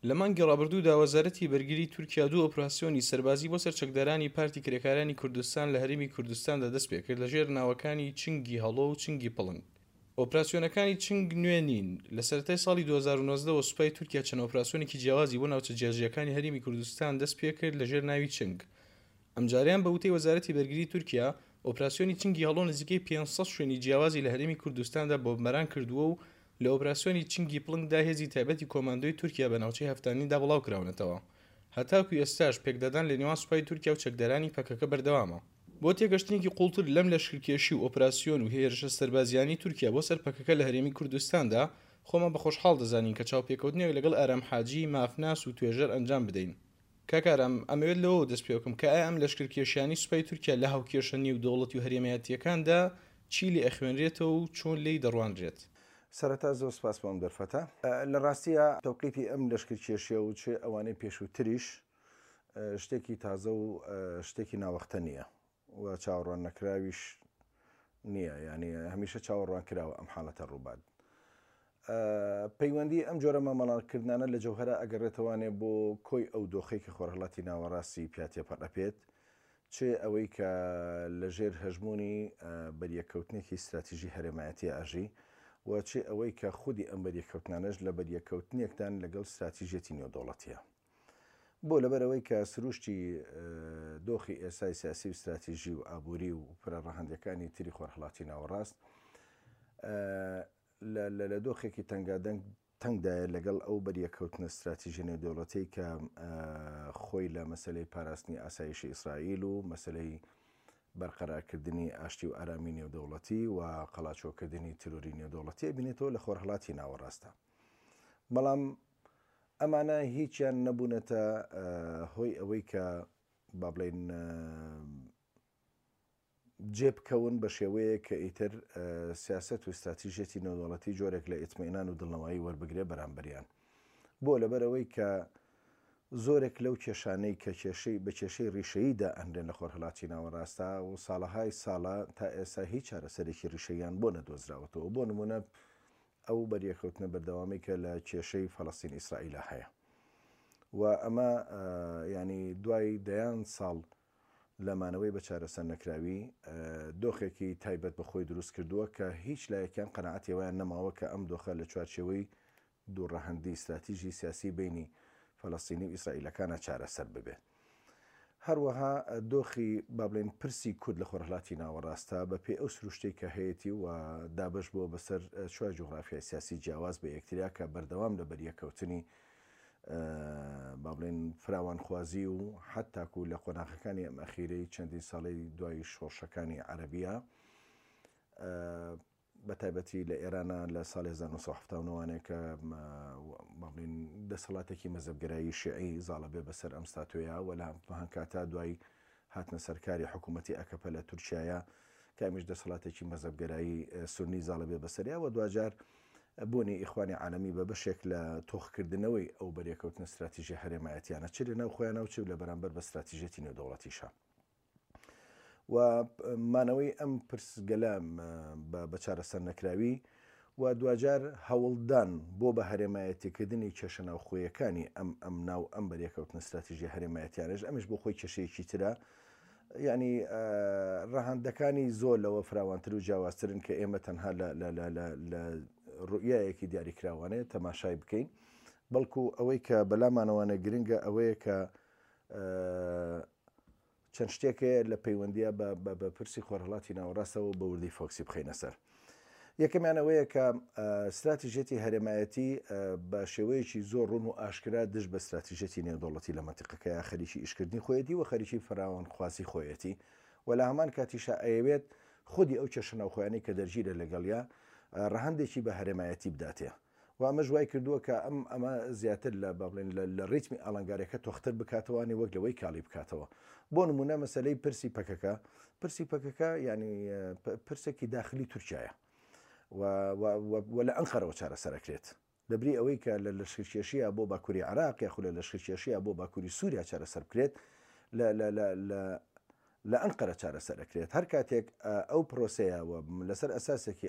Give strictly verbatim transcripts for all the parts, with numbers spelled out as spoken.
لە مانگی ڕابردوودا وەزارەتی بەرگری تورکیا دوو ئۆپراسیۆنی سەربازی بۆ سەر چەکدارانی پارتی کرێکارانی کوردستان لە هەرێمی کوردستاندا دەست پێکرد لەژێر ناوەکانی چنگی هەڵۆ و چنگی پڵنگ. ئۆپراسیۆنەکانی چنگ نوێ نین. لە سەرەتای ساڵی دوو هەزار و نۆزدە وە سوپای تورکیا چەند ئۆپراسیۆنێکی جیاوازی بۆ ناوچە جیاجیاکانی هەرێمی کوردستان دەست پێکرد لەژێر ناوی چنگ. ئەمجاریان بە وتەی وەزارەتی بەرگری تورکیا ئۆپراسیۆنی چنگی هەڵۆ نزیکەی پێنج سەد شوێنی جیاوازی لە هەرێمی کوردستاندا بۆمباران کردووە و لە ئۆپراسیۆنی چنگی پڵنگدا هێزی تایبەتی کۆماندۆی تورکیا بە ناوچەی هەفتانیندا بڵاو کراونەتەوە. هەتاکو ئێستاش پێکدادان لە نێوان سوپای تورکیا و چەکدارانی پەکەکە بەردەوامە. بۆ تێگەشتنێکی قوڵتر لەم لەشکرکێشی و ئۆپراسیۆن و هێرشە سەربازیانی تورکیا بۆ سەر پەکەکە لە هەرێمی کوردستاندا، خۆمان بە خۆشحاڵ دەزانین کە چاوپێکەوتنێک لەگەڵ ئارام حاجی مافناس و توێژەر ئەنجام بدەین. کاک ئارام، ئەمەوێت لەوەوە دەست پێ بکەم کە ئایا ئەم لەشکرکێشیانی سوپای تورکیا لە هاوکێشە نێودەوڵەتی و هەرێمایەتیەکاندا چی لێ ئەخوێنرێتەوە و چۆن لێی دەڕوانرێت؟ سەرەتا زۆر سپاس بۆ ئەم دەرفەتە. لە ڕاستیە تەوقیتی ئەم لەشکرکێشیە و چێ ئەوانەی پێشووتریش شتێکی تازە و شتێکی ناوەختە نییە و چاوەڕوان نەکراویش نییە، یعنی هەمیشە چاوەڕوان کراوە ئەم حاڵەتە ڕووبات. پەیوەندی ئەم جۆرە مامەڵەکردنانە لە جەوهەرە ئەگەڕێتەوانێ بۆ کۆی ئەو دۆخەی کە خۆرهەڵاتی ناوەڕاستی پیا تێپەڕ ئەپێت، چێ ئەوەی کە لەژێر هەژمونی بەریەکەوتنێکی استراتیژی هەرێمایەتی ئاژی و چێ ئەوەی کە خودی ئەم بەریەکەوتنانەش لە بەریەکەوتنێکدان لەگەڵ استراتیژیەتی نێودەوڵەتیە. بۆ لەبەرەوەی کە سروشتی دۆخی ئێسای سیاسی و استراتیژی و ئابووری و پرەڕەهەندەکانی تری خۆرهەڵاتی ناوەڕاست لە دۆخێکی تەنگادەنگ تەنگدایە لەگەڵ ئەو بەریەکەوتنە استراتیژی نێودەوڵەتی کە خۆی لە مەسلەی پاراستنی ئاسایشی ئیسرائیل و مەسلەی بەرقەرارکردنی ئاشتی و ئارامی نێودەوڵەتی و قەڵاچۆکردنی تیرۆری نێودەوڵەتی بینێتەوە لە خۆرهەڵاتی ناوەڕاستە. بەڵام ئەمانە هیچیان نەبوونەتە هۆی ئەوەی کە با بڵێین جێ بکەون بە شێوەیە کە ئیتر سیاست و استراتیژیەتی نێودەوڵەتی جۆرێک لە ئیتمئینان و دڵنەوایی وەربگرێ بەرامبەریان. بۆ لەبەرەوەی کە زۆرێک لەو کێشانەی کە کێشەی بە کێشەی ڕیشەییدا ئەنرێن لە خۆرهەڵاتی ناوەڕاستە و ساڵەهای ساڵە تا ئێستا هیچ چارەسەرێکی ڕیشەییان بۆ نەدۆزراوەتەوە. بۆ نمونە ئەو بەریەکەوتنە بەردەوامی کە لە کێشەی فەلەستین ئیسرائیلە هەیە و ئەمە ینی دوای دەیان ساڵ لەمانەوەی بە چارەسەر نەکراوی دۆخێکی تایبەت بە خۆی دروست کردووە کە هیچ لایەکیان قەناعەتی وایان نەماوە کە ئەم دۆخە لە چوارچێوەی دوو ڕەهەندی استراتیژی سیاسی بینی فەلەستینی و ئیسرائیلەکانە چارەسەر ببێت. هەروەها دۆخی با بڵێن پرسی کورد لە خۆرهەڵاتی ناوەڕاستە بە پێی ئەو سروشتەی کە هەیەی و دابەش بووە بەسەر چوار جوغرافیای سیاسی جیاواز بە یەکتریا کە بەردەوام لە بەریەکەوتنی با بڵێن فراوانخوازی و حتاکو لە قۆناغەکانی ئەم ئەخیرەی چەندین ساڵی دوای شۆڕشەکانی عەرەبیە بە تایبەتی لە ئێرانە لە ساڵی هەزار و نۆ سەد و حەفتا و نۆ کە با بڵێن دەسەڵاتێکی مەزەبگەرایی شیعی زاڵە بێ بەسەر ئەم ستاتۆیە و لە هەمان دوای هاتنە سەرکاری حکوومەتی ئەکەپە لە تورکیایە کە ئەمیش دەسەڵاتێکی مەزەبگەرایی سوننی زاڵە بێ بەسەریا و دواجار بوونی ئیخوانی عالەمی بە بەشێک لە تۆخکردنەوەی ئەو بەرێکەوتنە استراتیژی هەرێمایەتیانە چ لە ناو خۆیانە و چ لە بەرامبەر بە استراتیژیەتی نێودەوڵەتیشە. و مانەوەی ئەم پرسگەلە بە چارەسەر نەکراوی و دواجار هەوڵدان بۆ بە هەرێمایەتیکردنی کێشە ناوخۆیەکانی ئەم ئەم ناو ئەم بەرێکەوتنە استراتیژی هەرێمایەتیانش ئەمیش بۆ خۆی کێشەیەکی ترە، یعنی ڕەهەندەکانی زۆر لەوە فراوانتر و جیاوازترن کە ئێمە تەنها لە ڕوئیایەکی دیاریکراوانەیە تەماشای بکەین، بەڵکو ئەوەی کە بەلامانەوانە گرنگە ئەوەیە کە چەند شتێکەیە لە پەیوەندیە بە پرسی خۆرهەڵاتی ناوەڕاستەوە بە وردی فۆکسی بخەینە سەر. یەکەمیان ئەوەیە کە استراتیژیەتی هەرێمایەتی بە شێوەیەکی زۆر ڕوون و ئاشکرا دژ بە استراتیژیەتی نێودەوڵەتی لە مەنتیقەکەیا خەریکی ئیشکردنی خۆیەتی و خەریکی فراوانخوازی خۆیەتی و لە هەمان کاتیشا ئەیەوێت خودی ئەو کێشە ناوخۆیانەی کە دەرگیرە لەگەڵیا ڕەهەندێکی بە هەرێمایەتی بداتێ و ئەمەش وای کردووە کە ئەم ئەمە زیاتر لە با بڵێن لە ڕیتمی ئاڵنگاریەکە تۆختر بکاتەوەانی وەک لەوەی کاڵی بکاتەوە. بۆ نمونە مەسلەی پرسی پەکەکە، پرسی پەکەکە یعنی پرسێکی داخلی تورکیایە و لە ئەنقەرەوە چارەسەرەکرێت. لەبری ئەوەی کە لە لەشکرکێشیە بۆ باکووری عراق یاخود لە لەشکرکێشیە بۆ باکووری سووریا چارەسەر بکرێت، لە ئەنقەرە چارەسەر ئەکرێت. هەر کاتێک ئەو پرۆسەیە و لەسەر ئەساسێکی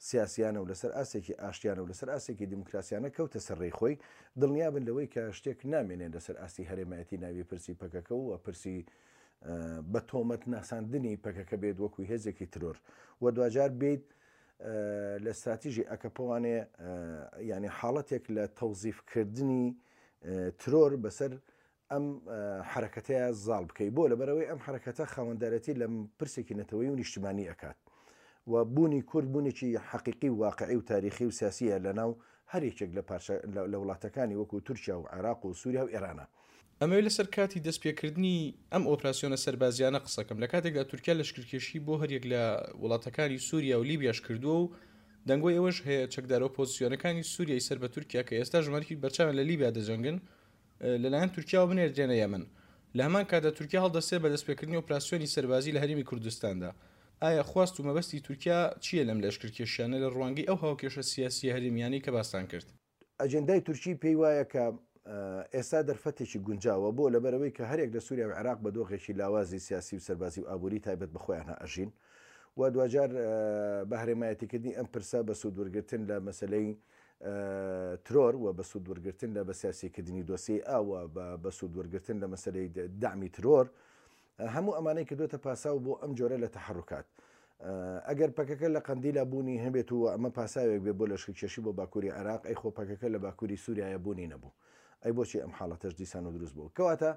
سیاسیانە و لەسەر ئاستێکی ئاشتیانە و لەسەر ئاستێکی دیموکراسیانە کەوتە سەر ڕێی خۆی، دڵنیابن لەوەی کە شتێک نامێنێت لەسەر ئاستی هەرێمایەتی ناوی پرسی پەکەکە و پرسی بە تۆمەت ناساندنی پەکەکە بێت وەکو هێزێکی ترۆر و دواجار بیت لە استراتیژی ئەکەپەوانێ یعنی حاڵەتێک لە تەوزیفکردنی ترۆر بەسەر ئەم حرەکەتەیە زاڵ بکەی. بۆ لەبەرەوەی ئەم حرەکەتە خاوەندارەتی لە پرسێکی نەتەوەی و نیشتمانی ئەکات و بوونی کورد بوونێکی حەقیقی و واقعی و تاریخی و سیاسیە لەناو هەر یەکێک لە پارچە لە وڵاتەکانی وەکو تورکیا و عێراق و سووریا و ئێرانە. ئەمەوێت لەسەر کاتی دەستپێکردنی ئەم ئۆپراسیۆنە سەربازیانە قسەکەم لە کاتێکدا تورکیا لەشکرکێشی بۆ هەریەک لە وڵاتەکانی سووریا و لیبیاش کردووە و دەنگۆی ئەوەش هەیە چەکدارە ئۆپۆزیسیۆنەکانی سووریای سەر بە تورکیا کە ئێستا ژمارەیەکی بەرچاویان لە لیبیا دەجەنگن لەلایەن تورکیاوە بنێردرێنە یەمەن. لە هەمان کاتدا تورکیا هەڵدەستێت بە دەستپێکردنی ئۆپراسیۆنی سەربازی لە هەرێمی کوردستاندا. ئایا خواست و مەبەستی تورکیا چییە لەم لەشکرکێشیانە لە ڕوانگەی ئەو هاوکێشە سیاسیە هەرێمیانەی کە باستان کرد؟ ئەجێندای تورکی پێی وایە کە ئێستا دەرفەتێکی گونجاوە بۆ لەبەرەوەی کە هەرێک لە سووریا و عێراق بە دۆخێکی لاوازی سیاسی و سەربازی و ئابووری تایبەت بە خۆیان ئەژین و دواجار بە هەرێمایەتیکردنی ئەم پرسە بە سوودوەرگرتن لە مەسلەی ترۆر و بە سوودوەرگرتن لە بە سیاسیکردنی دۆسیەی ئاو و بە سوودوەرگرتن لە مەسلەی دەعمی ترۆر، هەموو ئەمانەی کردوێتە پاساو بۆ ئەم جۆرە لە تەحەڕکات. ئەگەر پەکەکە لە قەندیلا بوونی هەبێت و ئەمە پاساوێک بێ بۆ لەشکرکێشی بۆ باکووری عێراق، ئەی خۆ پەکەکە لە باکووری سووریایە بوونی نەبوو، ئەی بۆچی ئەم حاڵەتەش دیسان و دروست بوو؟ کەواتە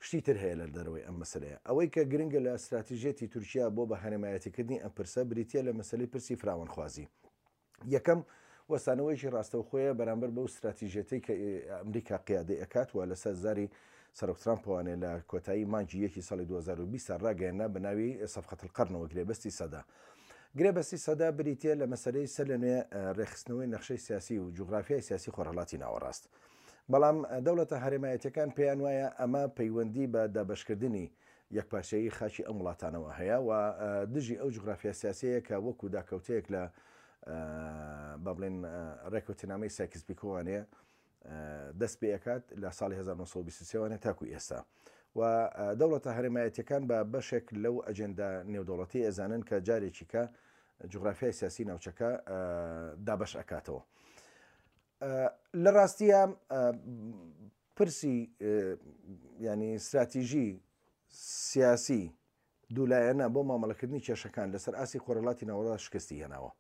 شتی تر هەیە لە دەرەوەی ئەم مەسلەیە. ئەوەی کە گرنگە لە استراتیژیەتی تورکیا بۆ بە هەرێمایەتیکردنی ئەم پرسە بریتیە لە مەسلەی پرسی فراوانخوازی. یەکەم وەستانەوەیەکی ڕاستەوخۆیە بەرامبەر بەو استراتیژیەتەی کە ئەمریکا قیادەی ئەکات و لەسەر زاری سەرۆک ترامپوانێ لە کۆتایی مانگی یەکی ساڵی دوو هەزار و بیست ڕاگەیەنرا بە ناوی سەفقەت القەرنەوە گرێبەستی سەدا. گرێبەستی سەدا بریتیە لە مەسەلەی سەر لە نوێ ڕێکخستنەوەی نەخشەی سیاسی و جوگرافیای سیاسی خۆرهەڵاتی ناوەڕاست. بەڵام دەوڵەتە هەرێمایەتیەکان پێیان وایە ئەمە پەیوەندی بە دابەشکردنی یەکپارچەیی خاکی ئەم وڵاتانەوە هەیە و دژی ئەو جوگرافیا سیاسیەیە کە وەکو داکەوتەیەک لە با بڵێن ڕێکەوتنامەی سایکس پیکۆوانەیە دەست پێ ئەکات لە ساڵی هەزار و نۆ سەد و بیست و سێ تاکو ئێستا. و دەوڵەتە هەرێمایەتیەکان بە بەشێک لەو ئەجێندا نێودەوڵەتی ئەزانن کە جارێکی کە جوگرافیای سیاسی ناوچەکە دابەش ئەکاتەوە. لە ڕاستیە پرسی ینی استراتیژی سیاسی دوولایەنە بۆ مامەڵەکردنی کێشەکان لەسەر ئاستی خۆرهەڵاتی ناوەڕاست شکستی هێناوە.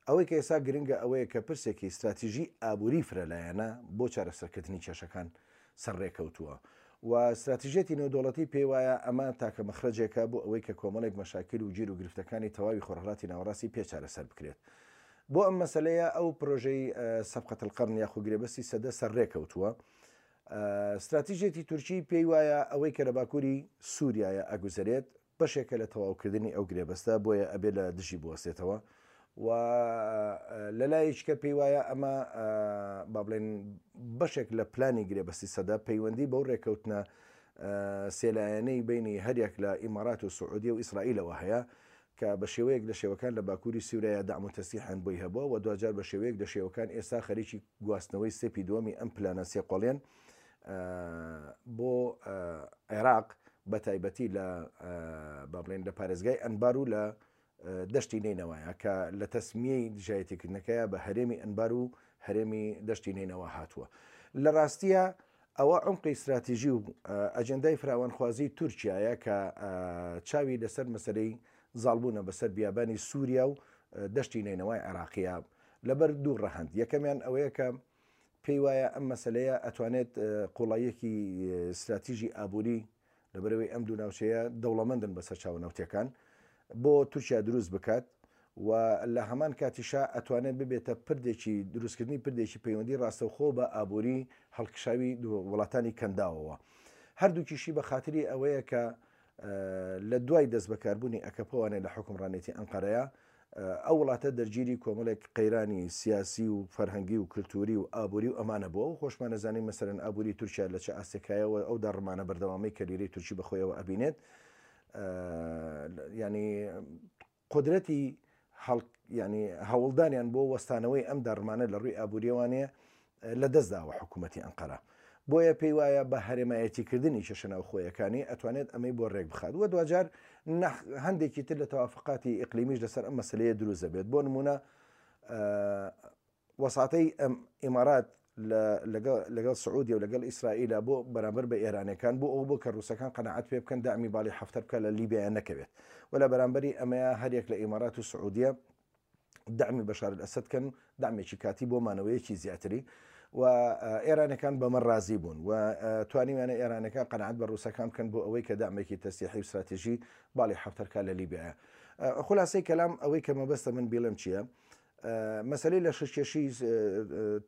ئەوەی کە ئێستا گرنگە ئەوەیە کە پرسێکی استراتیژی ئابووری فرەلایەنە بۆ چارەسەرکردنی کێشەکان سەرڕێکەوتووە و استراتیژیەتی نێودەوڵەتی پێی وایە ئەمە تاکە مەخرەجێکە بۆ ئەوەی کە کۆمەڵێک مەشاکل و گیر و گرفتەکانی تەواوی خۆرهەڵاتی ناوەڕاستی پێ چارەسەر بکرێت. بۆ ئەم مەسلەیە ئەو پرۆژەی سەفقەت القەرن یاخو گرێبەستی سەدە سەرڕێکەوتووە. استراتیژیەتی تورکی پێی وایە ئەوەی کە لە باکووری سووریایە ئەگوزەرێت بەشێکە لە تەواوکردنی ئەو گرێبەستە، بۆیە ئەبێ لە دژی بوەستێتەوە و لەلایەکە پێی وایە ئەمە با بڵێن بەشێک لە پلانی گرێبەستی سەدە پەیوەندی بەو ڕێکەوتنە سێلایەنەی بینی هەریەک لە ئیمارات و سعودیە و ئیسرائیلەوە هەیە کە بە شێوەیەک لە شێوەکان لە باکووری سووریا دەعم و تەسلیحیان بۆی هەبووە و دواجار بە شێوەیەک لە شێوەکان ئێستا خەریکی گواستنەوەی سێپی دووەمی ئەم پلانە سێقۆڵێن بۆ عێراق بە تایبەتی لە با بڵێن لە پارێزگای ئەنبار و لە دەشتی نەینەوایە کە لە تەسمیەی دژایەتیکردنەکەیە بە هەرێمی ئەنبار و هەرێمی دەشتی نەینەوە هاتووە. لە ڕاستیە ئەوە عمقی استراتیژی و ئەجەندای فراوانخوازی تورکیایە کە چاوی لەسەر مەسەلەی زاڵبوونە بەسەر بیابانی سووریا و دەشتی نەینەوای عێراقیە لەبەر دوو ڕەهەند. یەکەمیان ئەوەیە کە پێی وایە ئەم مەسلەیە ئەتوانێت قوڵاییەکی استراتیژی ئابووری لەبەرەوەی ئەم دوو ناوچەیە دەوڵەمەندن بەسەر چاوە نەوتیەکان بۆ تورکیا دروست بکات و لە هەمان کاتیشا ئەتوانێت ببێتە پردێکی دروستکردنی پردێکی پەیوەندی ڕاستەوخۆ بە ئابووری هەڵکشاوی وڵاتانی کەنداوەوە. هەردووکیشی بە خاتری ئەوەیە کە لە دوای دەست بەکاربوونی ئەکەپەوانێ لە حکومڕانێتی ئەنقەرەیە ئەو وڵاتە دەرگیری کۆمەڵێک قەیرانی سیاسی و فەرهەنگی و کللتوری و ئابووری و ئەمانە بووە و خۆشمانەزانین مەسەرەن ئابووری تورکیا لە چه ئاستێکایەوە ئەو داڕمانە بەردەوامەی کە لیرەی تورکی بەخۆیەوە ئەبینێت، ینی قدرەتی ینی هەوڵدانیان بۆ وەستانەوەی ئەم داڕمانە لە ڕووی ئابووریەوانەیە لە دەستداوە حکوومەتی ئەنقەرە. بۆیە پێی وایە بە هەرێمایەتیکردنی کێشە ناوخۆیەکانی ئەتوانێت ئەمەی بۆ ڕێک بخات و دواجار هەندێکی تر لە تەوافقاتی ئیقلیمیش لەسەر ئەم مەسلەیە دروست دەبێت. بۆ نمونە وەساتەی ئیمارات لەگەڵ سعودیە و لەگەڵ ئیسرائیلە بۆ بەرامبەر بە ئێرانەکان بۆ ئەو بۆ کە ڕووسەکان قەناعەت پێ بکەن دامی باڵی حەفتەر بکە لە لیبیا نەکەوێت و لە بەرامبەری ئەمەیە هەریەک لە ئیمارات و سعودیە دەعمی بەشار ئەسەد کەن، دەعمێکی کاتی بۆ مانەوەیەکی زیاتری و ئێرانەکان بەمە ڕازی بوون و توانیویانە ئێرانەکان قەناعەت بە ڕووسەکان بکەن بۆ ئەوەی کە دەعمێکی تەسلیحی و استراتیژی باڵی حەفتەرکە لە لیبیایە. خلاصەی کەلام ئەوەی کە مەبەستە من بیڵێم چییە؟ مەسلەی لەشکرکێشی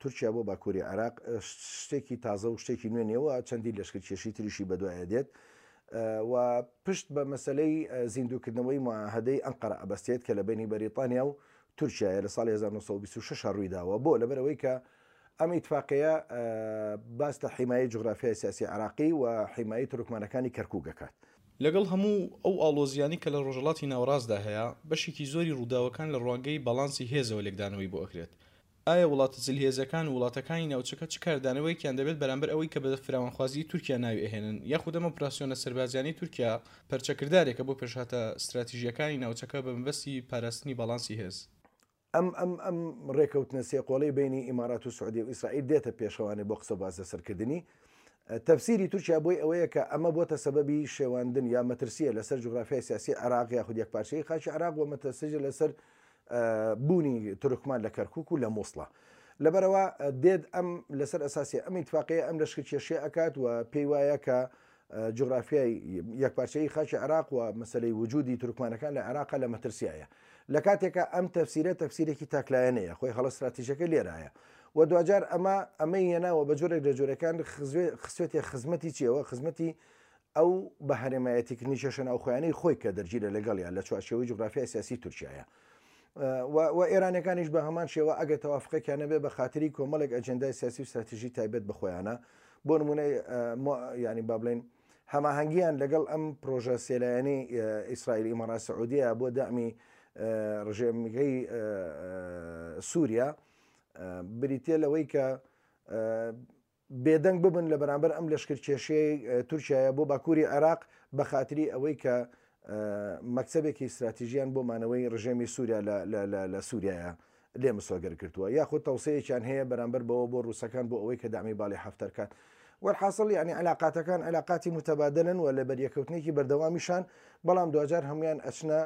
تورکیا بۆ باکووری عێراق شتێکی تازە و شتێکی نوێ نییەوە، چەندین لەشکرکێشی تریشی بەدوایە دێت و پشت بە مەسلەی زیندووکردنەوەی معاهدەی ئەنقەرە ئەبەستێت کە لە بینی بەریتانیا و تورکیایە لە ساڵی هەزار و نۆ سەد و بیست و شەش ڕوویداوە. بۆ لەبەرەوەی کە ئەم ئیتفاقەیە باس لە حیمایەی جوغرافیای سیاسی عێراقی و حیمایەی تورکمانەکانی کەرکووک ئەکات. لەگەڵ هەموو ئەو ئاڵۆزیانی کە لە ڕۆژهەڵاتی ناوەڕاستدا هەیە، بەشێکی زۆری ڕووداوەکان لە ڕوانگەی باڵانسی هێزەوە لێکدانەوەی بۆ ئەکرێت. ئایا وڵاتە زلهێزەکان و وڵاتەکانی ناوچەکە چ کاردانەوەیەکیان دەبێت بەرامبەر ئەوەی کە بە فراوانخوازی تورکیا ناوی ئەهێنن، یاخود ئەم ئۆپراسیۆنە سەربازیانەی تورکیا پەرچەکردارێکە بۆ پێشهاتە استراتیژیەکانی ناوچەکە بە مەبەستی پاراستنی باڵانسی هێز؟ ئەم ئەم ئەم ڕێکەوتنە سێقۆڵەی بینی ئیمارات و سعودیە و ئیسرائیل دێتە پێشەوانێ بۆ قسە باز لەسەرکردنی. تەفسیری تورکیا بۆی ئەوەیە کە ئەمە بۆتە سەبەبی شێواندن یا مەترسیە لەسەر جوغرافیای سیاسی عێراق یاخود یەکپارچەی خاکی عێراق و مەترسیە لەسەر بوونی تورکمان لە کەرکوک و لە مووسڵە. لەبەرەوە دێت ئەم لەسەر ئەساسی ئەم ئیتفاقەیە ئەم لەشکرکێشیە ئەکات و پێی وایە کە جوغرافیای یەکپارچەی خاکی عێراق و مەسلەی وجودی تورکمانەکان لە عێراق لە مەترسیایە. لە کاتێکە ئەم تەفسیرە تەفسیرێکی تاکلایەنەیە، خۆی هەڵە استراتیژەکە لێرایە و دوجار ئەمە ئەمەی هێناوە بە جۆرێک لە جۆرەکان خسوێتێ خزمەتی چیەوە؟ خزمەتی ئەو بە هەرێمایەتیکردنی کێشە ناوخۆیانەی خۆی کە دەرگیرە لەگەڵیان لە چوارچێوەی جوغرافیای سیاسی تورکیایە. و ئێرانەکانیش بە هەمان شێوە ئەگەر تەوافقێکیان نەبێ بە خاتری کۆمەڵێک ئەجەندای سیاسی و استراتیژی تایبەت بە خۆیانە، بۆ نمونە ینی با بڵێن هەماهەنگیان لەگەڵ ئەم پرۆژە سێلایەنەی ئیسرائیل ئیمارات سعودیە بۆ دەعمی ڕژێمەکەی سووریا بریتە لەوەی کە بێدەنگ ببن لە بەرامبەر ئەم لەشکرکێشەی تورکیایە بۆ باکووری عێراق بە خاتری ئەوەی کە مەکسەبێکی استراتیژیان بۆ مانەوەی ڕژێمی سووریا لە سووریایە لێ مسۆگەر کردووە، یاخود تەوسەیەکیان هەیە بەرامبەر بەوە بۆ ڕووسەکان بۆ ئەوەی کە دامی باڵی حەفتەرکات. وەرحاصل یعنی علاقاتەکان علاقاتی متبادلن و لە بەریەکەوتنێکی بەردەوامیشان، بەڵام دوجار هەمویان ئەچنە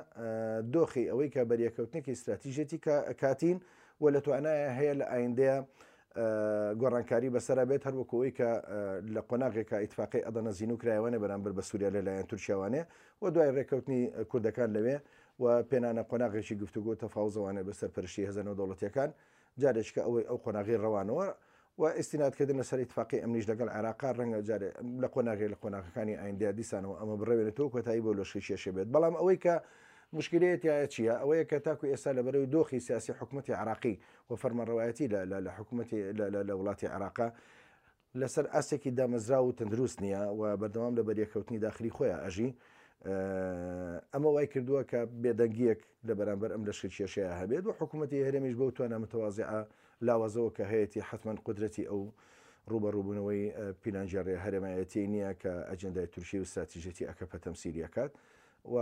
دۆخی ئەوەی کە بەریەکەوتنێکی استراتیژیەتی کاتین و لە توانایە هەیە لە ئایندەیە گۆڕانکاری بەسەر بێت، هەروەکو ئەوەی کە لە قۆناغێکە ئیتفاقی ئەدەنە زین و کرایوانێ بەرامبەر بە سووریا لەلایەن تورکیاوانێ و دوای ڕێککەوتنی کوردەکان لەوێ و پێنانە قۆناغێکی گفتوگۆ تەفاوزەوانێ بەسەر پەرشتی هێزە نێودەوڵەتیەکان، جارێککە ئەوەی ئەو قۆناغی ڕەوانەوە و ئستینادکردن لەسەر ئیتفاقی ئەمنیش لەگەڵ عێراقا ڕەنگە جارێ لە قۆناغی لە قۆناغەکانی ئایندەیە دیسانەوە ئەمە بڕەوێنێتەوە کۆتایی بۆ لەشکرکێشێ بێت. بەڵام ئەوەی کە مشکلەیە تایە چییە؟ ئەوەیە کە تاکو ئێستا لە بەرەوەی دۆخی سیاسی حکوومەتی عێراقی و فەرمانڕەوایەتی لە حکوومەتی لە وڵاتی عێراقا لەسەر ئاستێکی دامەزراو و تەندروست نییە و بەردەوام لە بەریەکەوتنی داخلی خۆیان ئەژی. ئەمە وای کردووە کە بێدەنگیەک لە بەرامبەر ئەم لەشکرکێشەیە هەبێت و حکوومەتی هەرێمیش بەو توانا متەوازعە لاوازەوە کە هەیەی حتمما قودرەتی ئەو ڕوبەڕووبوونەوەی پیلانگێڕی هەرێمایەتی نییە کە ئەجەندای تورکی و استراتیژیەتی ئەکەپە تەمسیلی ئەکات و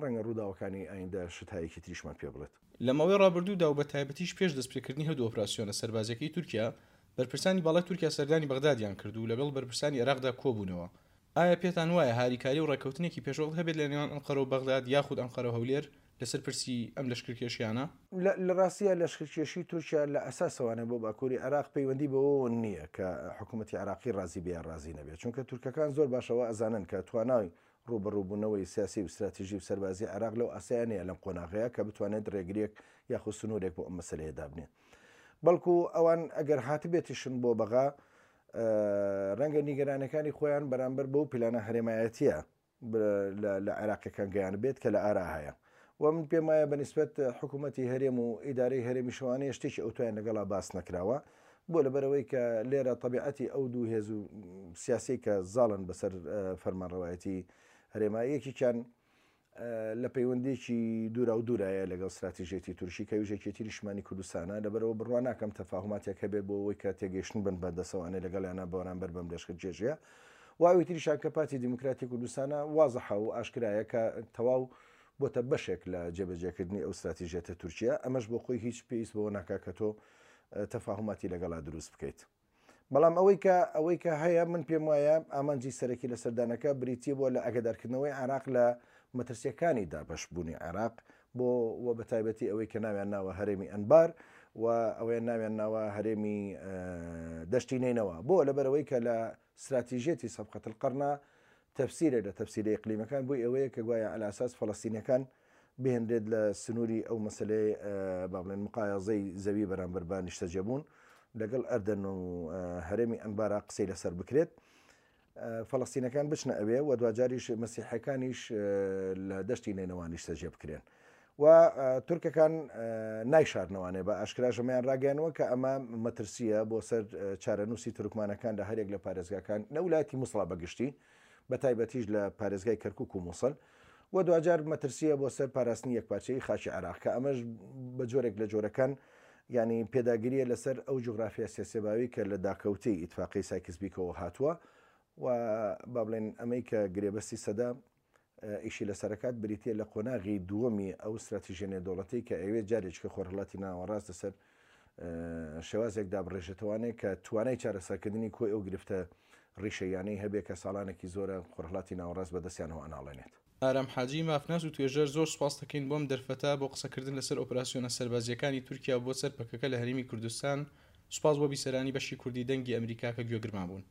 ڕەنگە ڕووداوەکانی ئایندە شتهایەکی تریشمان پێ بڵێت. لە ماوەی ڕابردوودا و بە تایبەتیش پێش دەستپێکردنی هەردوو ئۆپراسیۆنە سەربازیەکەی تورکیا، بەرپرسانی باڵای تورکیا سەردانی بەغدادیان کرد و لەگەڵ بەرپرسانی عێراقدا کۆبوونەوە. ئایا پێتان وایە هاریکاری و ڕێککەوتنێکی پێشوەخت هەبێت لە نێوان ئەنقەرە و بەغداد یاخود ئەنقەرە و هەولێر لەسەر پرسی ئەم لەشکرکێشیانە؟ لە ڕاستیە لەشکرکێشی تورکیا لە ئەساسەوانە بۆ باکووری عێراق پەیوەندی بەوەوە نییە کە حکوومەتی عێراقی ڕازی بێ یان ڕازی نەبێت، چونکە تورکەکان زۆر باشەوە ئەزانن کە توانای ڕوبەڕووبوونەوەی سیاسی و استراتیژی و سەربازی عێراق لەو ئاسایە نییە لەم قۆناغەیە کە بتوانێت ڕێگریەک یاخود سنوورێک بۆ ئەم مەسلەیە دابنێت. بەڵکو ئەوان ئەگەر هاتبێتیشن بۆ بەغا ڕەنگە نیگەرانەکانی خۆیان بەرامبەر بەو پلانە هەرێمایەتیە لە عێراقیەکان گەیان بێت کە لە ئارا هەیە. و من پێم وایە بەنسبەت حکوومەتی هەرێم و ئیدارەی هەرێمی شەوانەیە شتێکی ئەوتویان لەگەڵا باس نەکراوە، بۆ لەبەرەوەی کە لێرە طبیعەتی ئەو دوو هێز و سیاسی کە زاڵن بەسەر فەرمانڕەوایەتی هەرێما، یەکێکیان لە پەیوەندێکی دوورا و دوورایە لەگەڵ استراتیژیەتی تورکی کە ویژێکێتی نیشتمانی کوردستانە. لەبەرەوە بڕوا ناکەم تەفاهماتێک هەبێت بۆ ئەوەی کە تێگەیشتن بن بەدەسەوانێ لەگەڵیانە بەرامبەر بەم لەشکرکێشیە. و ئەوی تریشان کە پارتی دیموکراتی کوردستانە وازحە و ئاشکرایە کە تەواو بۆتە بەشێک لە جێبەجێکردنی ئەو ستراتیژیەتە تورکیا، ئەمەش بۆ خۆی هیچ پێویست بەوە ناکا کە تۆ تەفاهوماتی لەگەڵا دروست بکەیت. بەڵام ئەوەی کە ئەوەی کە هەیە من پێم وایە ئامانجی سەرەکی لە سەردانەکە بریتیە بووە لە ئەگەدارکردنەوەی عێراق لە مەترسیەکانی دابەشبوونی عێراق بۆ و بە تایبەتی ئەوەی کە ناویان ناوە هەرێمی ئەنبار و ئەوەیان ناویان ناوە هەرێمی دەشتی نەینەوە، بۆ لەبەرەوەی کە لە استراتیژیەتی سەفقەت القەرنا تەفسیرە لە تەفسیرە ئیقلیمەکان بۆی ئەوەیە کە گوایە على ئەساس فەلەستینەکان بهێنرێت لە سنووری ئەو مەسلەی با بڵێن مقایەزەی زەوی بەرامبەر بە نیشتەجێبوون لەگەڵ ئەردەن و هەرێمی ئەنبارا قسەی لەسەر بکرێت، فەلەستینەکان بچنە ئەوێ و دواجاریش مەسیحەکانیش لە دەشتی نەینەوا نیشتەجێ بکرێن. و تورکەکان نایشارنەوانێ بە ئاشکراژەمەیان ڕاگەیانەوە کە ئەمە مەترسیە بۆ سەر چارەنووسی تورکمانەکان لە هەرێک لە پارێزگاکان لە ولایەتی موسڵا بەگشتی، بە تایبەتیش لە پارێزگای کەرکوک و موسڵ، و دواجار مەترسیە بۆ سەر پاراستنی یەکپارچەی خاکی عێراق کە ئەمەش بە جۆرێک لە جۆرەکان ینی پێداگیریە لەسەر ئەو جوگرافیا سیاسیباوی کە لە داکەوتەی ئیتفاقی سایکس بیکەوە هاتووە و با بڵێن ئەمەی کە گرێبەستی سەدا ئیشی لەسەرکات بریتە لە قۆناغی دووەمی ئەو استراتیژیە نێودەوڵەتی کە ئەوێ جارێک کە خۆرهەڵاتی ناوەڕاست لەسەر شێوازێک دابڕێژێتوانێت کە توانای چارەسەرکردنی کۆی ئەو گرفتە ڕیشەیانەی هەبێ کە ساڵانێکی زۆرە خۆرهەڵاتی ناوەڕاست بەدەستیانەوە ئەناڵێنێت. ئارام حاجی مافناس و توێژەر، زۆر سوپاس دەکەین بۆم دەرفەتە بۆ قسەکردن لەسەر ئۆپراسیۆنە سەربازیەکانی تورکیا بۆ سەر پەکەکە لە هەرێمی کوردستان. سوپاس بۆ بیسەرانی بەشی کوردی دەنگی ئەمریکا کە گوێگرمان بوون.